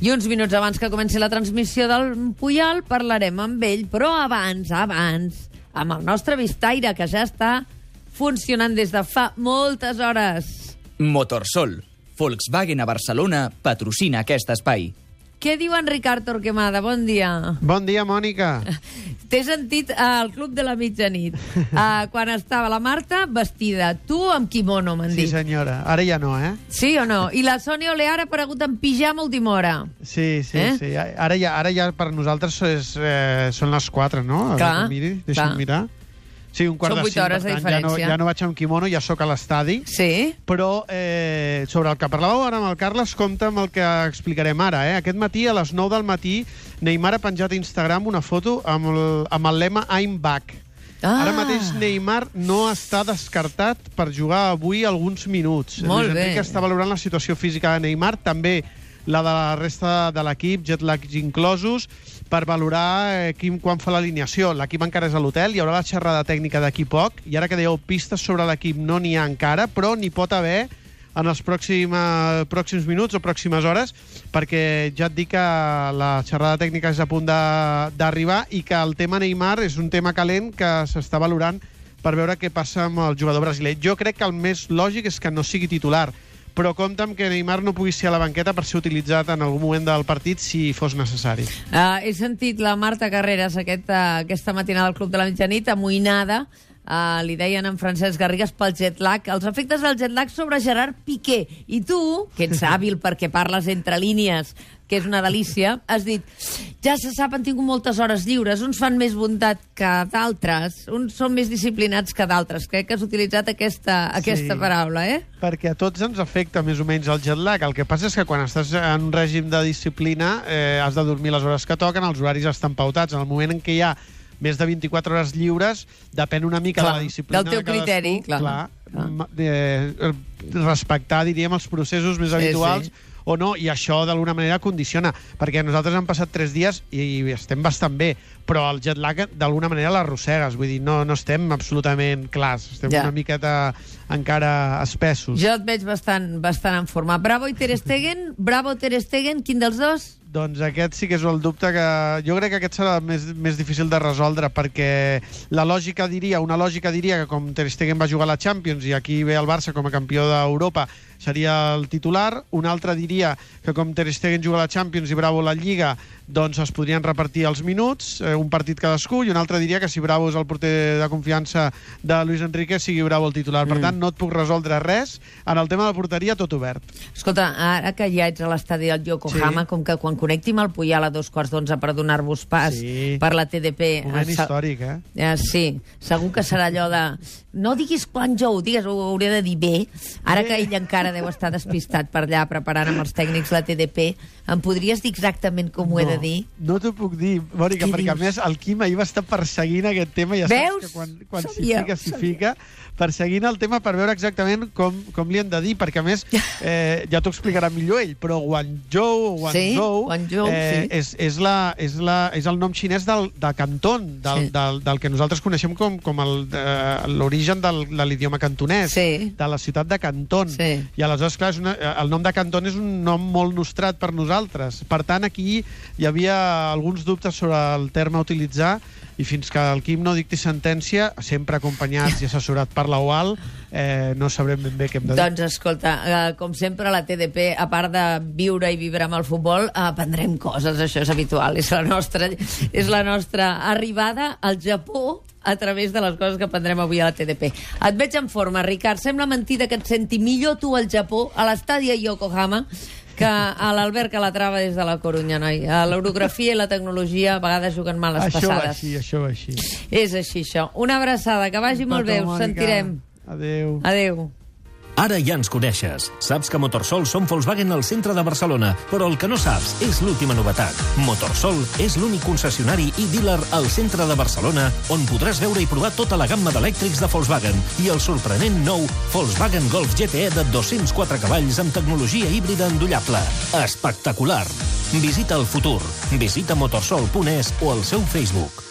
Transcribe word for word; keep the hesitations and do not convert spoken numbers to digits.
I uns minuts abans que comenci la transmissió del Puyal parlarem amb ell, però abans, abans, amb el nostre Vistaire, que ja està funcionant des de fa moltes hores. Motorsol. Volkswagen a Barcelona patrocina aquest espai. Què diu en Ricard Torquemada? Bon dia. Bon dia, Mònica. T'he sentit al Club de la Mitjanit, uh, quan estava la Marta vestida. Tu amb kimono, m'han dit. Sí, senyora. Ara ja no, eh? Sí o no? I la Sònia Olear ha aparegut en pijama a última hora. Sí, sí, eh? sí. Ara ja, ara ja per nosaltres és, eh, són les quatre, no? Clar, miri, deixa'm clar. mirar. Sí, un quart Són de vuit cinc, hores per de tant, ja no, diferència. ja no vaig amb quimono, ja sóc a l'estadi. Sí. Però eh, sobre el que parlàveu ara amb el Carles, compta amb el que explicarem ara. Eh? Aquest matí, a les nou del matí, Neymar ha penjat a Instagram una foto amb el, amb el lema I'm back. Ah. Ara mateix Neymar no està descartat per jugar avui alguns minuts. Molt Luis bé. Enrique està valorant la situació física de Neymar, també la de la resta de l'equip, jet lags inclosos, per valorar eh, quin, quan fa l'alineació. L'equip encara és a l'hotel, hi haurà la xerrada tècnica d'aquí poc, i ara que dèieu pistes sobre l'equip no n'hi ha encara, però n'hi pot haver en els pròxim, eh, pròxims minuts o pròximes hores, perquè ja et dic que la xerrada tècnica és a punt d'arribar i que el tema Neymar és un tema calent que s'està valorant per veure què passa amb el jugador brasiler. Jo crec que el més lògic és que no sigui titular, però compta amb que Neymar no pugui ser a la banqueta per ser utilitzat en algun moment del partit si fos necessari. Uh, he sentit la Marta Carreras aquest, uh, aquesta matinada al Club de la Mitjanit, amoïnada, uh, li deien en Francesc Garrigues pel jet lag, els efectes del jet lag sobre Gerard Piqué. I tu, que ets hàbil perquè parles entre línies, que és una delícia, has dit, ja se sap, han tingut moltes hores lliures, uns fan més bondat que d'altres, uns són més disciplinats que d'altres. Crec que has utilitzat aquesta, aquesta Sí. paraula, eh? Perquè a tots ens afecta més o menys el jet lag. El que passa és que quan estàs en un règim de disciplina eh, has de dormir les hores que toquen, els horaris estan pautats. En el moment en què hi ha més de vint-i-quatre hores lliures, depèn una mica Clar, de la disciplina del teu de cadascú. criteri, clar. clar Clar. ma- eh, respectar, diríem, els processos més Sí, habituals sí. o no, i això d'alguna manera condiciona, perquè nosaltres hem passat tres dies i estem bastant bé, però el jet lag d'alguna manera l'arrossegues, vull dir, no, no estem absolutament clars, estem Ja. una miqueta encara espessos. Jo et veig bastant, bastant en forma. Bravo i Ter Stegen? Bravo Ter Stegen? Quin dels dos? Doncs aquest sí que és el dubte que... Jo crec que aquest serà més, més difícil de resoldre, perquè la lògica diria, una lògica diria que com Ter Stegen va jugar a la Champions i aquí ve el Barça com a campió d'Europa, seria el titular. Una altra diria que com Ter Stegen juga a la Champions i Bravo a la Lliga, doncs es podrien repartir els minuts, eh, un partit cadascú, i un altre diria que si Bravo és el porter de confiança de Luis Enrique, sigui Bravo el titular. Per Mm. tant, no et puc resoldre res. En el tema de la porteria, tot obert. Escolta, ara que ja ets a l'estadi del Yokohama, Sí. com que quan connecti amb el Puyal a dos quarts d'onze per donar-vos pas Sí. per la T D P... Moment eh, sa- històric, eh? Eh, sí, segur que serà allò de... No diguis Guangzhou, digues, ho hauria de dir bé. Ara que ell encara deu estar despistat per allà preparant amb els tècnics la T D P, em podries dir exactament com ho he de dir? No t'ho puc dir, Mònica, Què perquè a dius? més el Quim ahir va estar perseguint aquest tema, ja Veus? saps que quan, quan s'hi Sabia, fica, s'hi sabia. fica, perseguint el tema per veure exactament com, com li han de dir, perquè a més, eh, ja t'ho explicarà millor ell, però Guangzhou, o Sí, Guangzhou, Guangzhou, eh, sí. és, és, la, és, la, és el nom xinès del, de Canton, del, Sí. del, del que nosaltres coneixem com, com el, eh, l'origen del, de l'idioma cantonès, Sí. de la ciutat de Canton. Sí. I aleshores, clar, és una, el nom de Canton és un nom molt nostrat per nosaltres. Per tant, aquí hi havia alguns dubtes sobre el terme a utilitzar i fins que el Quim no dicti sentència, sempre acompanyats i assessorat per la U A L, eh, no sabrem ben bé què hem de dir. Doncs escolta, eh, com sempre la T D P, a part de viure i vibrar amb el futbol, aprendrem coses, això és habitual, és la nostra, és la nostra arribada al Japó a través de les coses que aprendrem avui a la T D P. Et veig en forma, Ricard. Sembla mentida que et senti millor tu al Japó, a l'estadi a Yokohama, que a l'Albert Calatrava des de la Corunya, noi. A l'orografia i la tecnologia a vegades juguen mal les Això va passades. així, això va així. És així, això. Una abraçada, que vagi molt bé, us sentirem. Adéu. Adéu. Ara ja ens coneixes. Saps que Motorsol som Volkswagen al centre de Barcelona, però el que no saps és l'última novetat. Motorsol és l'únic concessionari i dealer al centre de Barcelona on podràs veure i provar tota la gamma d'elèctrics de Volkswagen i el sorprenent nou Volkswagen Golf G T E de dos-cents quatre cavalls amb tecnologia híbrida endollable. Espectacular! Visita el futur. Visita motorsol punt es o el seu Facebook.